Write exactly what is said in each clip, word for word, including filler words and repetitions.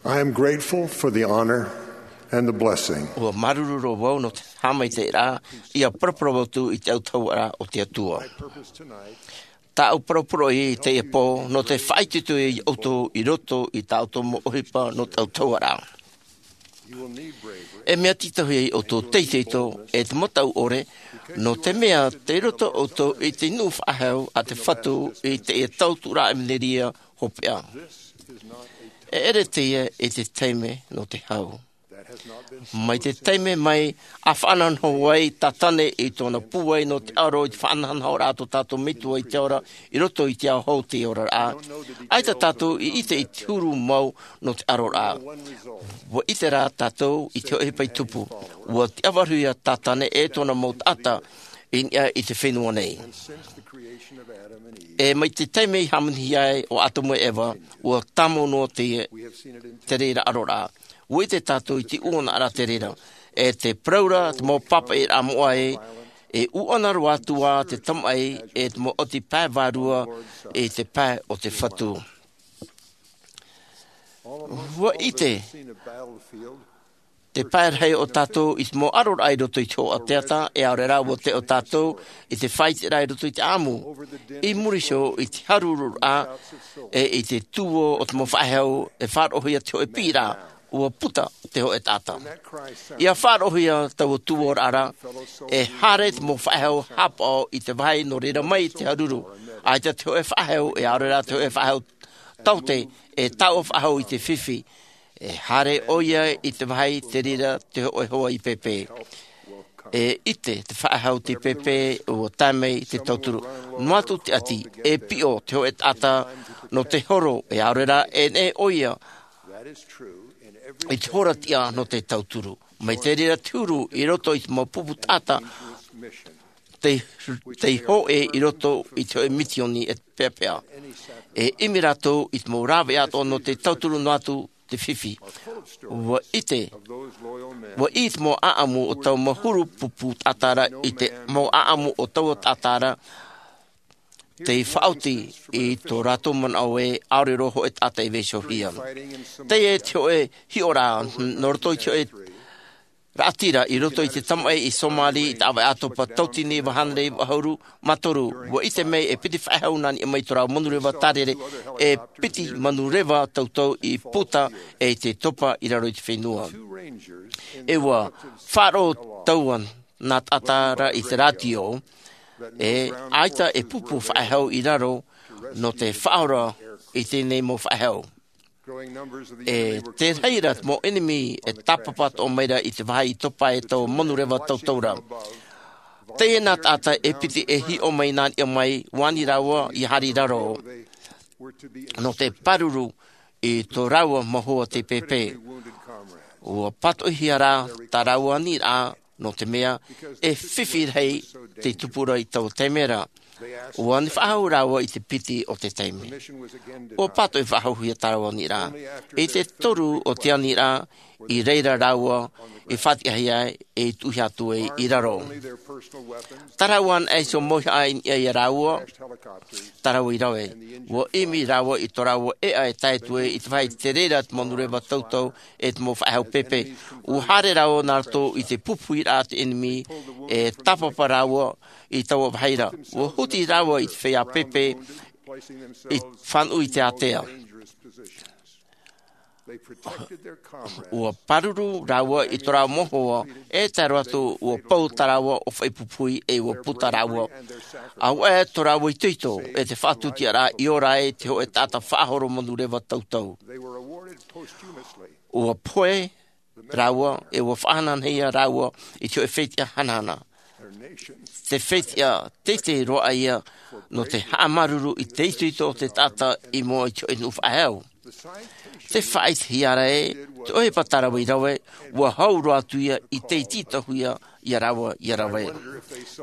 I am grateful for the honor and the blessing. Ua māuruuru roa vau nō te haʻamaitaʻiraʻa ia paraparau atu i te autahuʻaraʻa o te Atua. Tāʻu parau poroʻi i teie pō nō te faʻaitoito ia ʻoutou i roto i tā ʻoutou mau ʻohipa nō te autahuʻaraʻa. E mea tītauhia ia ʻoutou te itoito e te mataʻu ʻore, nō te mea tei roto ʻoutou i te nuʻu faʻahou a te Fatu i teie tauturu ʻevanelia hopeʻa. E ʻere teie i te taime nō te hau. Mai te taime mai a faʻanahonaho ai Tātane i tōna pūai nō te aro i te faʻanahonahoraʻa a tō tātou Metua i te ora, i roto i te ao hou o te oraraʻa, ʻaita tātou i ʻite i te huru mau nō te aroraʻa. Ua ʻite rā tātou i te hōʻē ʻohipa i tupu. Ua tiʻavarahia Tātane e tōna mau taʻata i niʻa i te fenua nei. E mai te taime i hāmanihia ai ʻo Atamu e Eva, ua tāmau noa te, te reira aroraʻa. Ua ʻite tātou i te ʻuʻanaʻaraʻa te reira. E te parau ra te mau pāpaʻiraʻa moʻa ē, e ʻuʻana roa atu ā te tamaʻi e te mau ʻati pae vārua i te pae o te Fatu. Ua ʻite te pae rahi o tātou i te mau aroraʻa i roto i te hoʻatata, e ʻaore rā ua teo tātou i te faʻaiteraʻa i roto i te ʻāʻamu. I muri iho i te haruruʻraʻa e i te tuō o te mau faʻehau, e faʻaroʻohia te hōʻē piʻiraʻa, ua puta te hōʻē taʻata. ʻIa faʻaroʻohia taua tuōraʻa ra, e haere te mau faʻehau haʻapaʻo i te vāhi nō reira mai te haruru, ʻaita te hōʻē faʻehau, e ʻaore rā te hōʻē faʻehau taote, e taoʻa faʻahou i te fifi. E haere ʻoia i te vāhi te reira te hōʻē hoa i pēpē. E ʻite te faʻehau tei pēpē, ua tae mai te tauturu. Noa atu te ʻati, e piʻo te hōʻē taʻata nō te horo, e ʻaore rā e neʻe ʻoia i te hora tiʻa nō te tauturu. Mai te reira te huru i roto i te mau pupu taʻata, tei, tei hōʻē i roto i te hōʻē misioni e peʻapeʻa. E ʻimi rātou i te mau rāveʻa atoʻa nō te tauturu noa atu te fifi. Ua ʻite, ua ʻī te mau ʻāʻamu o taua mau huru pupu taʻata ra i te mau ʻāʻamu o taua taʻata ra, tei faʻaoti i tō rātou manaʻo ē ʻaore roa hōʻē taʻata i vaiihohia. Teie te hōʻē hiʻoraʻa, nō roto i te hōʻē raʻatira, i roto i te tamaʻi i Somali, i te ʻāvaʻe ʻātopa tautini iva hānere iva ʻahuru mā toru, ua ʻite mai e piti faʻehau nā niʻa mai i tō rāua manureva tārere, e piti manureva tautau i puta e i te topa i raro i te fenua. E ua faʻaroʻo taua nā taʻata ra i te rātio, e ʻaita e pupu faʻehau i raro nō te faʻaora i teie nei mau faʻehau. E te reira te mau ʻenemi e tāpapa atoʻa mai ra i te vāhi i topa e taua manureva tautau ra. Teie nā taʻata e piti e hiʻo mai nā niʻa mai, ʻua ani rāua ʻia haere i raro nō te pāruru i tō rāua mau hoa tei pēpē. ʻUa pātoʻihia rā tā rāua aniraʻa, nō te mea e fifi rahi tei tupu ra i taua taime ra. ʻUa ani faʻahou rāua i te piti o te taime. ʻUa pātoʻi faʻahouhia tā rāua aniraʻa. I te toru o te aniraʻa, i reira rāua i faʻatiʻahia ai, e i tuʻuhia atu ai i raro. Tā rāua anaʻe iho mauhaʻa i niʻa ia rāua, tā rāua i rave. ʻUa ʻimi rāua i tō rāua ʻēʻa e tae atu ai i te vāhi te reira te manureva tautau e te mau faʻehau pēpē. ʻUa haere rāua nā roto i te pupuhiraʻa a te ʻenemi, e tāpapa rāua i taua vāhi ra. ʻUa huti rāua i te feiā pēpē, i fānaʻo i te ātea. ʻUa pāruru rāua i tō rāua mau hoa, e tae roa atu ʻua pau tā rāua ʻōfaʻi pupuhi e ʻua puta rāua. ʻAuaʻe tō rāua itoito, e te faʻatūtiaraʻa i ora ai te hōʻē taʻata faʻahoro manureva tautau. ʻUa pohe rāua, e ʻua faʻahanahanahia rāua i te hōʻē fetiʻa hanahana. Te fetiʻa teitei roa ʻaia nō te haʻamāuruuru i te itoito o te taʻata i mua i te hōʻē nuʻu faʻahou. Te faʻaʻitehia ra ē, te ʻohipa tā rāua i rave, ʻua hau roa atu ia i te tītauhia ia rāua ʻia rave.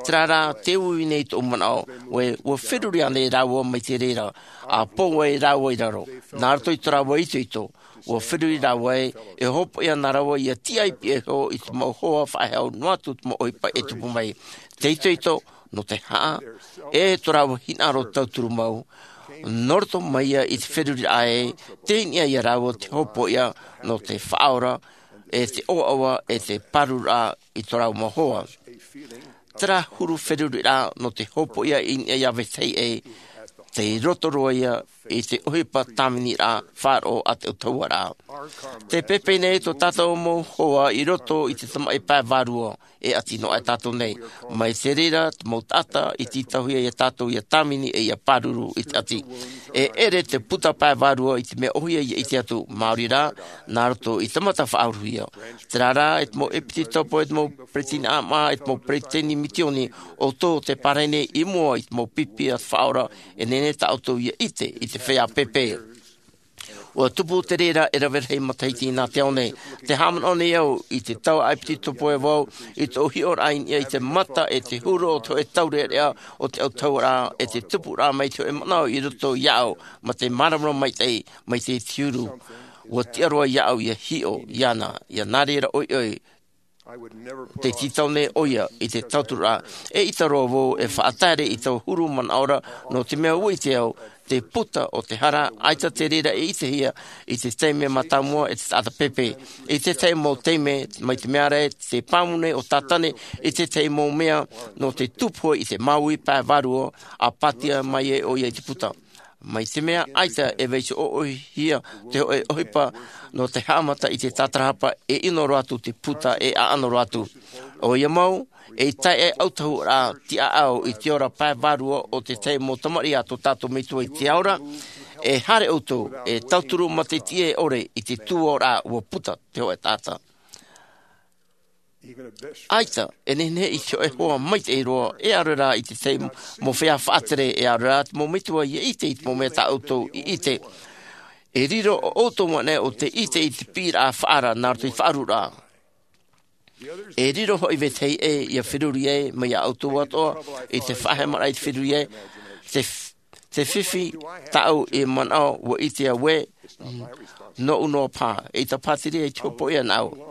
Terā rā, tē uiui nei tōʻu manaʻo, ʻua, ʻua feruri ānei rāua mai te reira, ʻa pau ai rāua i raro, nā roto i tō rāua itoito, ʻua feruri rāua ē, e hopoiʻa na rāua ʻia tiʻa i pihaʻi iho i te mau hoa faʻahou noa atu te mau ʻohipa e tupu mai. Te itoito, nō te haʻa, e tō rāua hinaʻaro tauturu mau, Nō roto mai ia i te feruriraʻa ē, tei niʻa ia rāua te hōpoiʻa nō te faʻaora, e te ʻoaʻoa, e te pārururaʻa i tō rāua mau hoa. Terā huru feruriraʻa nō te hōpoiʻa i niʻa ia vetahi ʻē, tei roto roa ia i te ʻohipa tāviniraʻa faʻaroʻo a te autahuʻaraʻa. Te pēpē nei tō tātou mau hoa i roto i te tamaʻi pae vārua, e ʻati noa aʻe tātou nei. Mai te reira te mau taʻata i tītauhia ia tātou ia tāvini e ia pāruru i te ʻati. E ʻere te puta pae vārua i te mea ʻohie ia ʻite atu, maori rā, nā roto i te mata faʻauruhia. Terā rā, e te mau ʻepititopo, e te mau peretiteni ʻāmaʻa, e te mau peretiteni misioni, ʻoutou te pārahi nei i mua i te mau pipi a te Faʻaora, e nehenehe tā ʻoutou ia ʻite i te feiā pēpē. Ua tupu te reira e rave rahi matahiti nā te ao nei. Te haʻamanaʻo nei au i te taua ʻepititopo e vau, i tōʻu hiʻoraʻa i niʻa i te mata e te huru o te hōʻē taureʻareʻa o te autahuʻaraʻa, e te tupuraʻa mai te hōʻē manaʻo i roto iāʻu, mā te māramarama maitaʻi, mai te huru. Ua tiʻa roa iāʻu ia hiʻo iāna, ia nā reira ʻoiʻoi, tē tītau nei ʻoia i te tauturu ra. E ʻita roa vau e faʻataere i taua huru manaʻo ra, nō te mea ua ʻite au, te puta o te hara, ʻaita te reira e ʻitehia i te taime mātāmua e te taʻata pēpē. I te tahi mau taime, mai te mea ra, te pāmu nei ʻo Tātane i te tahi mau mea, nō te tupu i te māuiui pae vārua, a pātia mai ai ʻoia i te puta. Mai te mea ʻaita e vaiiho ʻoʻohia te hōʻē ʻohipa nō te haʻamata i te tātarahapa, e ʻino roa atu te puta, e ʻaʻano roa atu. ʻOia mau, e tae ai autahuʻaraʻa tiʻaʻau i te ora pae vārua o te tahi mau tamariʻi a tō tātou Metua i te ao ra, e haere ʻoutou, e tauturu mā te tiʻa ʻore i te tuaoraʻa ua puta te hōʻē taʻata. ʻAita, e nehenehe i te hōʻē hoa maitaʻi roa, e ʻaore rā i te tahi mau feiā faʻatere, e ʻaore rā te mau metua ia ʻite i te mau mea tā ʻoutou i ʻite. E riro ʻo ʻoutou anaʻe ʻo tē ʻite i te piʻiraʻa faʻaara nā roto i te faʻaruraʻa. E riro hoʻi vetahi ʻē ia feruri ai, mai iā ʻoutou atoʻa, i te faʻahemaraʻa i te feruri ai, te f-, te fifi tāʻu i manaʻo ua ʻite au ē, nōʻu noa paha, eʻita paha te reira i te hōpoiʻa nāʻu.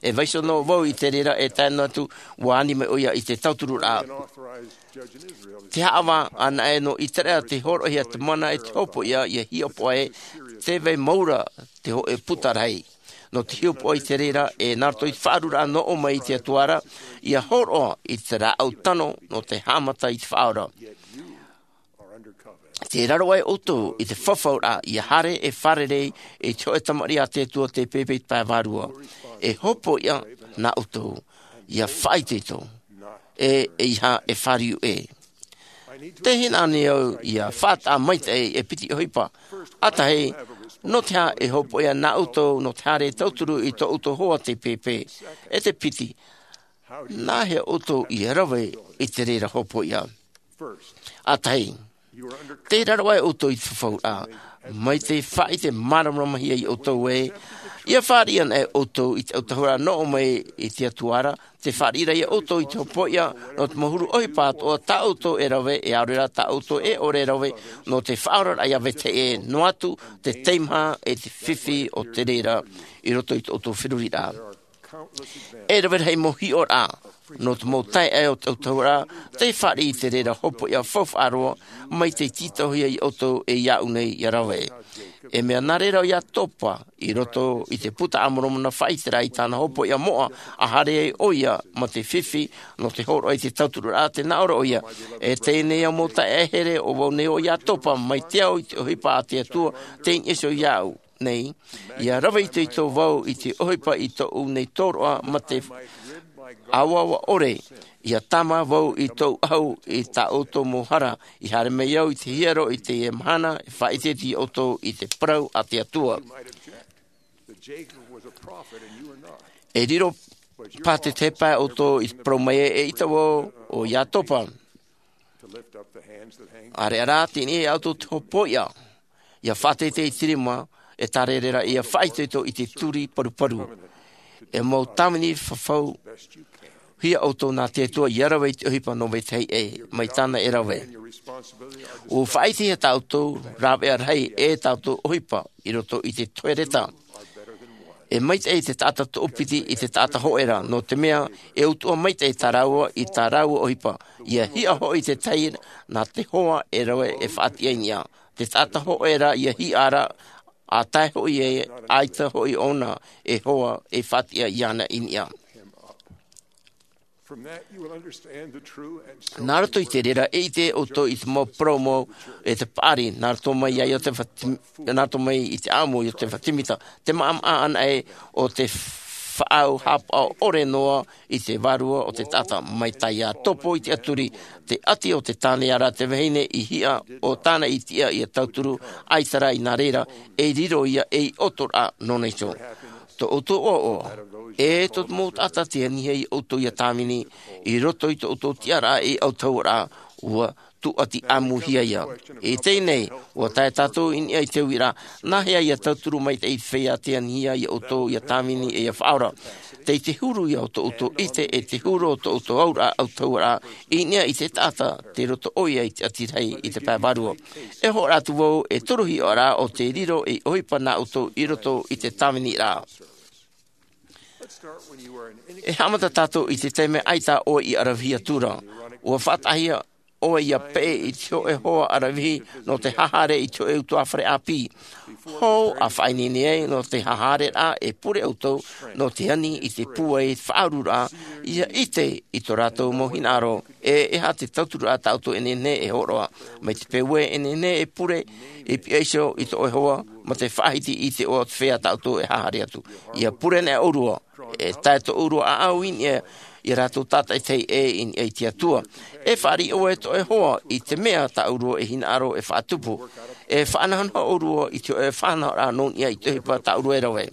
E vaiiho noa vau i te reira e tae noa atu, ua ani mai ʻoia i te tautururaʻa. Te haʻavā anaʻe nō ʻĪteraʻera tei hōroʻahia te mana e te hōpoiʻa ia hiʻopoʻa ē, tē vai mau ra te hōʻē puta rahi. Nō te hiʻopoʻa i te reira, e nā roto i te faʻaruraʻa nō ʻō mai i te Atua ra, ia hōroʻa i te rāʻau tano nō te haʻamata i te Faʻaora. Tē raro aʻe ʻoutou i te fafauraʻa, ia haere e fārerei i te hōʻē tamariʻi a te Atua tei pēpē i te pae vārua. E hōpoiʻa nā ʻoutou, ia faʻaitoito, e, ʻeiaha e fāriu ʻē. Tē hinaʻaro nei au ia faʻataʻa maitaʻi e piti ʻohipa. ʻA tahi, nō te aha e hōpoiʻa nā ʻoutou nō te haere tauturu i tō ʻoutou hoa tei pēpē? E te piti, nā hea ʻoutou i rave i te reira hōpoiʻa? ʻA tahi, tē raro aʻe ʻoutou i te fafauraʻa, mai te faʻaʻite māramarama hia iā ʻoutou ē, ia fāriʻi anaʻe ʻoutou i te autahuʻaraʻa nō ʻō mai i te Atua ra, tē fāriʻi ra iā ʻoutou i te hōpoiʻa, nō te mau huru ʻohipa atoʻa tā ʻoutou e rave, e ʻaore rā tā ʻoutou e ʻore e rave, nō te faʻaoraraʻa ia vetahi ʻē, noa atu te teimaha e te fifi o te reira, i roto i tō ʻoutou feruriraʻa. E rave rahi mau hiʻoraʻa, nō te mau taeaʻe o te autahuʻaraʻa, tei fāriʻi i te reira hōpoiʻa faufaʻa roa, mai tei tītauhia iā ʻoutou e iāʻu nei ia rave. E mea nā reira ʻo Iatopa, i roto i te Puta a Moromona faʻaʻite ra i tāna hōpoiʻa moʻa, ʻa haere ai ʻoia mā te fifi, nō te hōroʻa i te tautururaʻa, tē nā ʻō ra ʻoia. E teie nei au mau taeaʻe here, ʻo vau nei ʻo Iatopa, mai te ao i te ʻohipa a te Atua, tei niʻa iho iāʻu nei, ia rave itoito vau i te ʻohipa i tōʻu nei tōroʻa mā te ʻāvaʻava ʻore, ia tāmā vau i tōʻu ʻahu i tā ʻoutou mau hara, i haere mai au i te hiero i teie mahana, e faʻaʻite iā ʻoutou i te parau a te Atua. E riro paha te tahi pae ʻoutou i te parau mai ē, eʻita vau ʻo Iatopa. ʻAreʻa rā, tei niʻa iā ʻoutou te hōpoiʻa, ia faʻateitei i te rima, e tārere ra ia faʻaitoito i te turi paruparu. E mau tāvini fafauhia ʻoutou nā te Atua, ia rave i te ʻohipa nō vetahi ʻē, mai tāna e rave. ʻUa faʻaʻitehia tā ʻoutou rāveʻa rahi, e tā ʻoutou ʻohipa, i roto i te tohereta. E maitaʻi te taʻata toʻopiti i te taʻata hōʻē ra, nō te mea, e utuʻa maitaʻi tā rāua i tā rāua ʻohipa. Ia hiʻo hoʻi te tahi nā te hoa e rave e faʻatiʻa i niʻa. te taʻata hoʻe ra ia hiʻa ra, ʻa tae hoʻi e ʻaita hoʻi ʻōna e hoa e faʻatiʻa iāna i niʻa. Nā roto i te reira e ʻite ʻoutou i te mau parau mau e te paʻari nā roto mai ai o te fati- nā roto mai i te ʻāʻamu i o te fatimita, te maʻamaʻa ana e o te faʻau hāpaʻo ʻore noa i te vārua o te taʻata mai tae ia topo i te aturi, te ʻati o te tāne ara te vahine i hiʻa o tāna i tiʻa ia tauturu ʻaita ra i nā reira e riro ia ei ʻoto ra nō nei tō tō ʻoutou ʻoaʻoa e tō te mau taʻata te anihia i ʻoutou ia tāvini i roto i tō ʻoutou tiʻaraʻa ei ʻautahuʻaraʻa ua tūʻati ʻāmuhia ia. I teie nei ua tae tātou i niʻa i te uiraʻa, nāhea ia tauturu mai te feiā te anihia i ʻoutou ia tāvini e ia faʻaora tei te huru ia o tō ʻoutou ʻite e te huru o tō ʻoutou auraʻa ʻautahuʻaraʻa i niʻa i te taʻata te roto ʻoia i te ʻati rahi i te pae vārua. E hoʻo atu vau e toru hiʻoraʻa o te riro ei ʻohipa nā ʻoutou i roto i te tāviniraʻa. E haʻamata tātou i te taime ʻaita ʻoe i ʻaravihi atu ra, ua faʻataʻahia ʻoe ia peʻe i te hoʻe hoa ʻaravihi nō te haʻahaere i te hoʻe utuāfare ʻāpī. Hou a faʻaineine ai nō te haʻahaereraʻa e pure ʻoutou nō te ani i te pūai faʻaururaʻa ia ʻite i tō rātou mau hinaʻaro e e aha te tauturu a tā ʻoutou e nehenehe e hōroʻa mai te peu e nehenehe e pure i piʻaiso i tō ʻoe hoa ma te faʻahiti i te ʻoa o te feiā tā ʻoutou e haʻahaere atu. Ia pure nei ʻourua e tae tō ʻourua ʻaʻau i niʻa ia rātou tātaʻitahi ʻē i niʻa i te atua. E fāriʻi ʻoe tō ʻoe hoa i te mea tā ʻourua e hinaʻaro e faʻatupu e faʻanahonaho ʻourua i te hoʻe faʻanahoraʻa nō niʻa i te ʻohipa tā ʻourua e rave.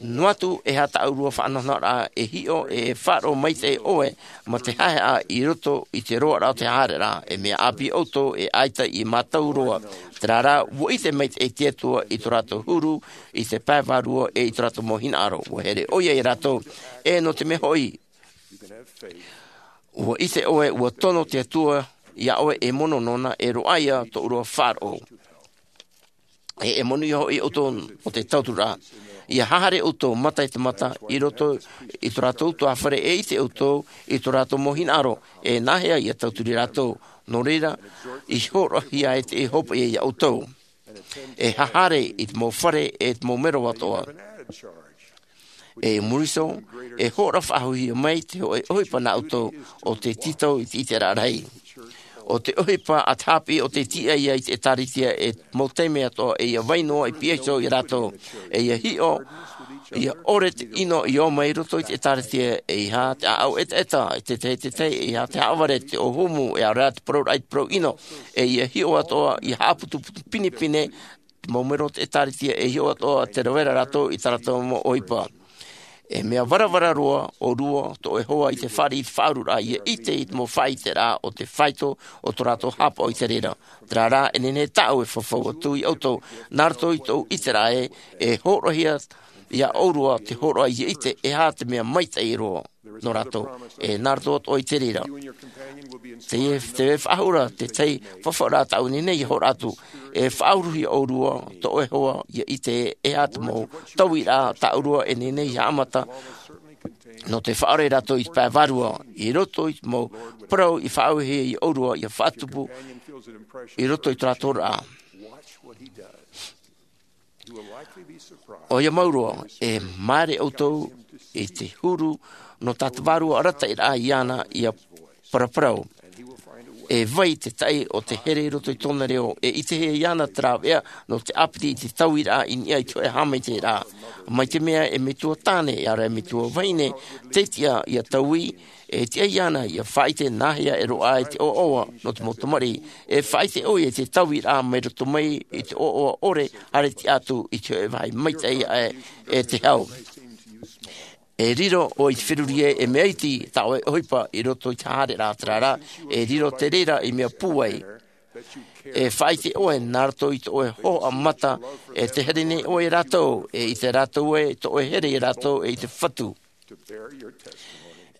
Noa atu e aha tā ʻourua faʻanahonahoraʻa e hiʻo e faʻaroʻo maitaʻi ʻoe ma te haʻehaʻa i roto i te roaraʻa o te haʻahaereraʻa e mea ʻāpī ʻoutou e ʻaita i mātau roa. Terā rā ua ʻite maitaʻi te atua i tō rātou huru i te pae vārua e i tō rātou mau hinaʻaro ua here ʻoia ia rātou. E nō te mea hoʻi ua ʻite ʻoe ua tono te atua iā ʻoe e mono nōna e roaʻa ia tō ʻourua faʻaroʻo. E e mono ia hoʻi ʻoutou o te tauturu ra ia haʻahaere ʻoutou mata i te mata i roto i tō rātou utuāfare e ʻite ʻoutou i tō rātou mau hinaʻaro e nāhea ia tauturu rātou. Nō reira i hōroʻahia e te hopoʻa iā ʻoutou e haʻahaere i te mau fare e te mau mero atoʻa. E muri iho e hōroʻa faʻahouhia mai te hoʻe ʻohipa nā ʻoutou o te tītau i te ʻiteraʻa rahi. O te ʻohipa a te hāpiʻi o te tiʻa ia i te ʻēkālesia e mau taime atoʻa e ia vai noa i piʻaiso ia rātou e ia hiʻo ia ʻore te ʻino i ō mai roto i te ʻēkālesia e aha te ʻaʻau ʻetaʻeta e tētahi tētahi e aha te haʻavare te ʻōhumu e ara te parauraʻa i te parau ʻino e ia hiʻo atoʻa ia haʻaputuputu pinepine te mau mero o te ʻēkālesia e hiʻo atoʻa te rave ra rātou i tā rātou mau ʻohipa. E mea varavara roa ʻourua tō ʻoe hoa i te fāriʻi i te faʻaururaʻa ia ʻite i te mau faʻaiteraʻa o te faito o tō rātou hāpaʻo i te reira. Terā rā e nehenehe tāʻu e fafau atu iā ʻoutou nā roto i tōʻu ʻiteraʻa ē e hōroʻahia iā ʻourua te hōroʻa ia ʻite e aha te mea maitaʻi roa nō rātou e nā roto atoʻa i te reira. Te te faʻahou ra tētahi fafauraʻa tāʻu nei nei e hōroʻa atu e faʻauruhia ʻourua tō ʻoe hoa ia ʻite e aha te mau tauiraʻa tā ʻourua e nehenehe ia haʻamata nō te faʻaora ia rātou i te pae vārua i roto i te mau parau i faʻaauhia iā ʻourua ia faʻatupu i roto i tō rātou raʻa. ʻOia mau roa e māere ʻoutou i te huru nō tā te vārua arataʻiraʻa iāna ia paraparau. E vai te taʻi o te here i roto i tōna reo e ʻitehia iāna te rāveʻa nō te ʻāpiti i te tauiraʻa i niʻa i te hoʻe haʻamaitaʻiraʻa. Mai te mea e metua tāne e ara e metua vahine tei tiʻa ia taui e tiʻa iāna ia faʻaʻite nāhea e roaʻa ai te ʻoaʻoa nō te mau tamariʻi. E faʻaʻite ʻoia i te tauiraʻa mai roto mai i te ʻoaʻoa ʻore haere tiʻa atu i te hoʻe vāhi maitaʻi aʻe e te hau. E riro ʻoe i te feruri ē e mea iti tā ʻoe ʻohipa i roto i te haʻahaereraʻa terā rā e riro te reira i mea pūai. E faʻaʻite ʻoe nā roto i tō ʻoe hōhoʻa mata e te here nei ʻoe iā rātou e ʻite rātou ē tō ʻoe here iā rātou e i te fatu.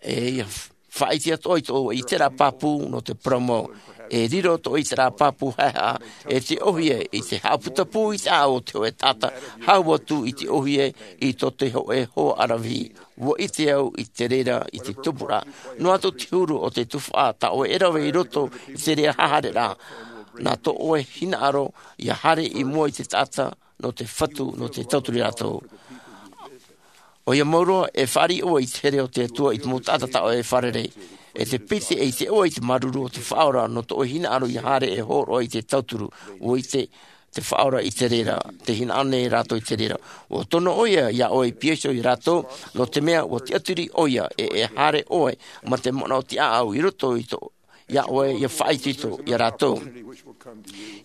E ia faʻaʻite atu ʻoe i tō ʻoe ʻiteraʻa pāpū nō te parau mau. E riro tō ʻoe ʻiteraʻa pāpū haʻehaʻa e te ʻōhie i te haʻaputapū i te ʻaʻau o te hoʻe taʻata hau atu i te ʻōhie i tō te hoʻe hoa ʻaravihi. Ua ʻite au i te reira i te tupuraʻa noa atu te huru o te tuhaʻa tā ʻoe e rave i roto i te reira haʻahaereraʻa. nā tō ʻoe hinaʻaro ia haere i mua i te taʻata nō te Fatu, nō te tauturu ia rātou. ʻOia mau roa, e fāriʻi ʻoe i te here o te Atua i te mau taʻata tā ʻoe e fārerei. E te piti e ʻite ʻoe i te māuruuru o te Faʻaora nō tō ʻoe hinaʻaro ia haere e hōroʻa i te tauturu, ʻua ʻite te Faʻaora i te reira, tē hinaʻaro nei rātou i te reira. ʻUa tono ʻoia ia ʻoe i pīhaʻi iho ia rātou, nō te mea ʻua tiʻaturi ʻoia, e, e haere ʻoe mā te manaʻo tiʻaʻau i roto i tō, ia ʻoe, ia faʻaitoito ia rātou.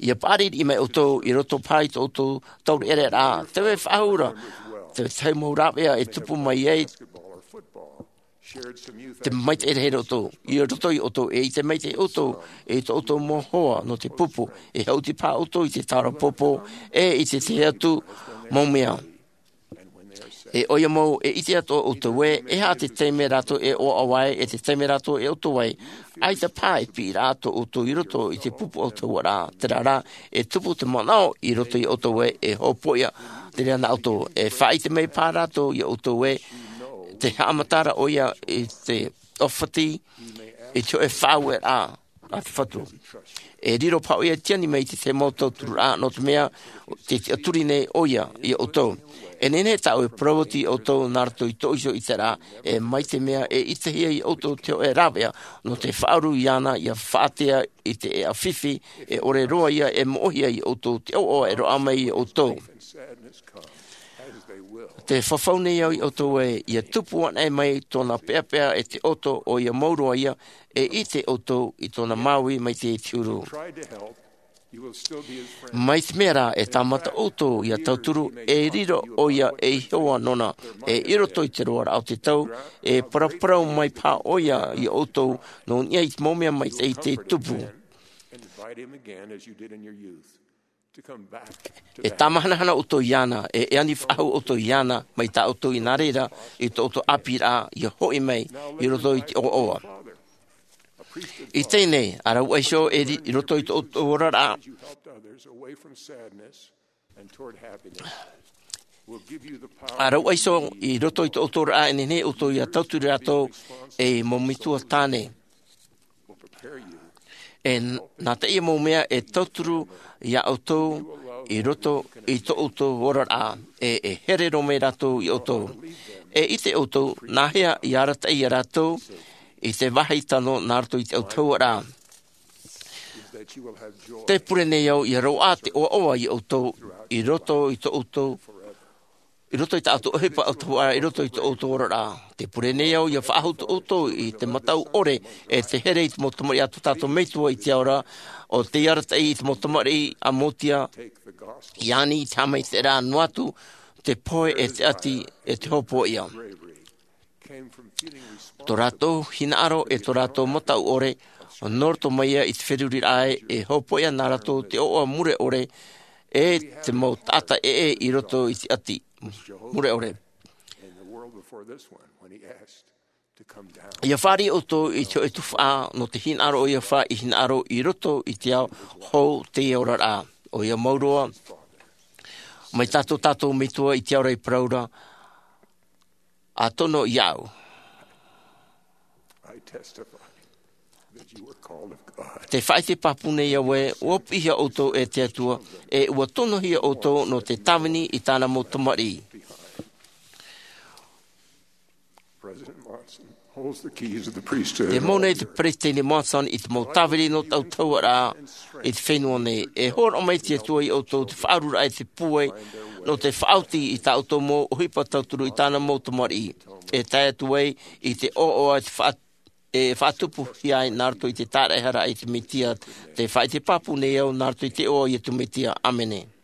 Ia paʻari riʻi mai ʻoutou i roto paʻi i tō ʻoutou taureʻareʻa, tē vai faʻahou ra, te tahi mau rāveʻa e tupu mai ai te maitaʻi rahi roto, i roto ia ʻoutou, e ʻite maitaʻi ʻoutou i tō ʻoutou mau hoa nō te pupu, e haʻuti paha ʻoutou i te taura pōpō, e i te tahi atu mau mea. E ʻoia mau e ʻite atoʻa ʻoutou ē, e aha te taime rātou e ʻoaʻoa ai, e te taime rātou e ʻoutou ai, ʻaita paha e piʻiraʻa tō ʻoutou i roto i te pupu ʻautahuʻaraʻa, terā rā, e tupu te manaʻo i roto ia ʻoutou ē, e hōpoiʻa te reira nā ʻoutou, e faʻaʻite mai paha rātou ia ʻoutou ē, tē haʻamata ra ʻoia i te ʻōfati, i te hōʻē faʻaueraʻa a te Fatu. E riro paha ʻoia i te ani mai i te tahi mau tauturu ra, nō te mea, tē tiʻaturi nei ʻoia ia ʻoutou. E nehenehe tāʻu e parau atu ia ʻoutou nā roto i tōʻu iho ʻiteraʻa, e mai te mea e ʻitehia ia ʻoutou te hōʻē rāveʻa, nō te faʻauru iāna ia faʻatea i te ʻēʻa fifi, e ʻore roa ia e moʻohia ia ʻoutou te ʻoaʻoa e roaʻa mai ia ʻoutou. Tē fafau nei au ia ʻoutou ē, ia tupu anaʻe mai tōna peʻapeʻa e te ʻoto, ʻoia mau roa ia, e ʻite ʻoutou i tōna māuiui mai te huru. Mai te mea rā, e tāmata ʻoutou ia tauturu, e riro ʻoia ei hoa nōna, e i roto i te roaraʻa o te tau, e paraparau mai paha ʻoia ia ʻoutou, nō niʻa i te mau mea maitaʻi tē tupu. E tāmahanahana ʻoutou iāna, e, e ani faʻahou ʻoutou iāna, mai tā ʻoutou i nā reira, i tō ʻoutou ʻāpīraʻa, ia hoʻi mai, i roto i te ʻoaʻoa. I teie nei, ʻa rāua iho e ri-, i roto i tō ʻoutou oraraʻa. ʻA rāua iho i roto i tō ʻoutou oraraʻa, e nehenehe ʻoutou ia tauturu rātou, ei mau metua tāne. E n-, nā teie mau mea e tauturu ia ʻoutou i roto i tō ʻoutou oraraʻa, e, e here roa mai rātou ia ʻoutou. E ʻite ʻoutou, nāhea i arataʻi ia rātou i te vāhi tano nā roto i te ʻautahuʻaraʻa. Tē pure nei au ia roaʻa te ʻoaʻoa ia ʻoutou i roto i tō ʻoutou i roto i tā ʻoutou ʻohipa ʻautahuʻaraʻa, i roto i tō ʻoutou oraraʻa. Tē pure nei au ia faʻahou tō ʻoutou i te mataʻu ʻore, e te here i te mau tamariʻi a tō tātou Metua i te ao ra, ʻo tei arataʻi i te mau tamariʻi a Motia, ia ani i te haʻamaitaʻiraʻa noa atu, te pohe e te ʻati, e te hōpoiʻa. Tō rātou hinaʻaro e tō rātou mataʻu ʻore, nō roto mai ia i te feruriraʻa e, e hōpoiʻa nā rātou te ʻoaʻoa mure ʻore, e te mau taʻata ʻē i roto i te ʻati mure ʻore. Ia fāriʻi ʻoutou i te hōʻē tuhaʻa nō te hinaʻaro o Iehova i hinaʻaro i roto i te ao hou teie oraraʻa. ʻOia mau roa, mai tā tō tātou Metua i te ao ra i parau ra, ʻa tono iāʻu. Tē faʻaʻite pāpū nei au ē, ʻua piʻihia ʻoutou e te Atua, e ʻua tonohia ʻoutou nō te tāvini i tāna mau tamariʻi. President Monson holds the keys of the priesthood. E mau nei te Peresideni Monson i te mau tāvini nō te ʻautahuʻaraʻa i te fenua nei. E hōroʻa mai te Atua ia ʻoutou te faʻaururaʻa e te pūai, nō te faʻaoti i tā ʻoutou mau ʻohipa tauturu i tāna mau tamariʻi. E tae atu ai i te ʻoaʻoa e te faʻa-, e faʻatupuhia ai nā roto i te tāraʻehara i te Mesia, tē faʻaʻite pāpū nei au nā roto i te iʻoa o Iesu Mesia. ʻĀmene.